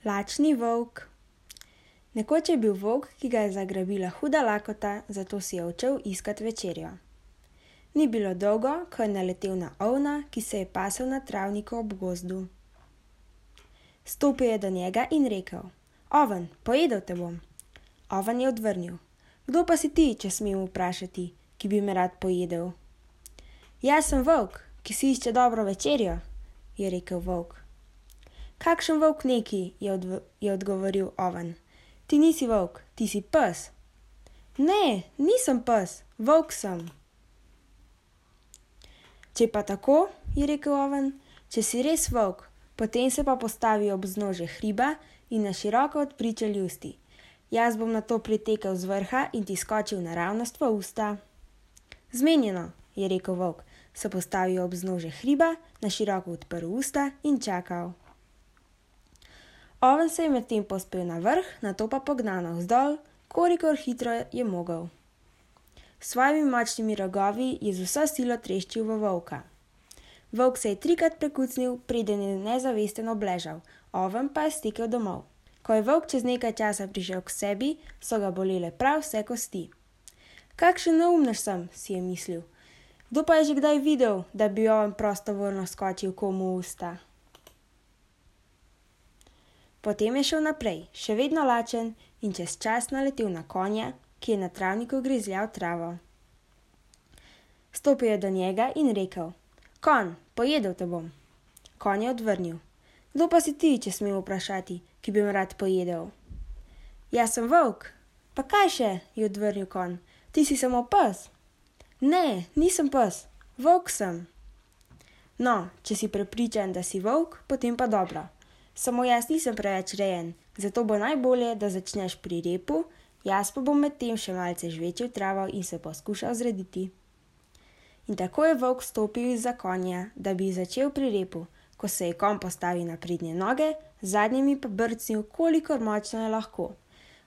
Lačni volk. Nekoč je bil volk, ki ga je zagrabila huda lakota, zato si je odšel iskat večerjo. Ni bilo dolgo, ko je naletel na ovna, ki se je pasel na travniku ob gozdu. Stopil je do njega in rekel: "Oven, pojedel te bom." Oven je odvrnil: "Kdo pa si ti, če smem vprašati, ki bi me rad pojedel?" "Jaz sem volk, ki si išče dobro večerjo," je rekel volk. "Kakšen volk neki," je odgovoril oven. "Ti nisi volk, ti si pes." "Ne, nisem pes, volk sem." "Če pa tako," je rekel oven, "če si res volk, potem se pa postavi ob vznožje hriba in na široko odpri čeljusti. Jaz bom nato pritekel z vrha in ti skočil naravnost v usta." "Zmenjeno," je rekel volk, se postavil ob vznožje hriba, na široko odprl usta in čakal. Oven se je medtem povzpel na vrh, nato pa pognal navzdol, kolikor hitro je mogel. S svojimi močnimi rogovi je z vso silo treščil v volka. Volk se je 3-krat prekucnil, preden je nezavesten obležal, oven pa je stekel domov. Ko je volk čez nekaj časa prišel k sebi, so ga bolele prav vse kosti. "Kakšen neumnež sem," si je mislil. "Kdo pa je že kdaj videl, da bi oven prostovoljno skočil komu v usta?" Potem je šel naprej, še vedno lačen, in čez čas naletel na konja, ki je na travniku grizljal travo. Stopil je do njega in rekel: "Konj, pojedel te bom." Konj je odvrnil: "Kdo pa si ti, če smem vprašati, ki bi me rad pojedel?" "Jaz sem volk." "Pa kaj še," je odvrnil konj, "ti si samo pes." "Ne, nisem pes, volk sem." "No, če si prepričan, da si volk, potem pa dobro. Samo jaz nisem preveč rejen, zato bo najbolje, da začneš pri repu, jaz pa bom medtem še malce žvečil travo in se poskušal zrediti." In tako je volk stopil izza konja, da bi začel pri repu. Ko se je konj postavil na prednje noge, zadnjimi pa brcnil, kolikor močno je lahko.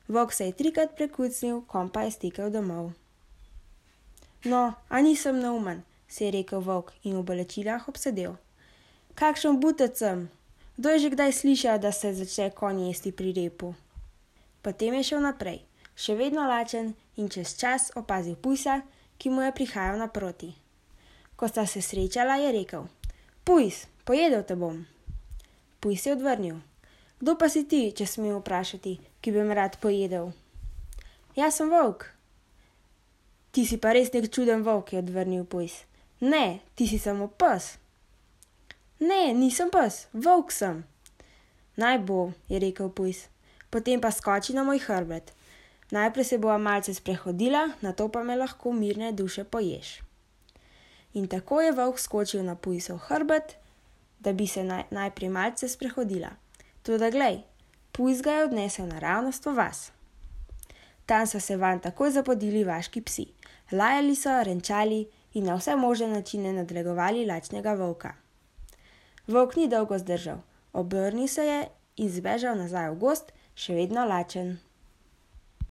Volk se je 3-krat prekucnil, konj pa je stekel domov. "No, a nisem neumen," si je rekel volk in v bolečinah obsedel. "Kakšen butec sem! Kdo je že kdaj slišal, da se začne konj jesti pri repu?" Potem je šel naprej, še vedno lačen, in čez čas opazil pujsa, ki mu je prihajal naproti. Ko sta se srečala, je rekel: "Pujs, pojedel te bom." Pujs je odvrnil: "Kdo pa si ti, če smem vprašati, ki bi me rad pojedel?" "Jaz sem volk." "Ti si pa res nek čuden volk," je odvrnil pujs. "Ne, ti si samo pes." "Ne, nisem pes, volk sem." "Naj bo," je rekel pujs, "potem pa skoči na moj hrbet. Najprej se bova malce sprehodila, nato pa me lahko mirne duše poješ." In tako je volk skočil na pujsov hrbet, da bi se najprej malce sprehodila. Toda glej, pujs ga je odnesel naravnost v vas. Tam so se vanj takoj zapodili vaški psi. Lajali so, renčali in na vse možne načine nadlegovali lačnega volka. Volk ni dolgo zdržal, obrnil se je in zbežal nazaj v gozd, še vedno lačen.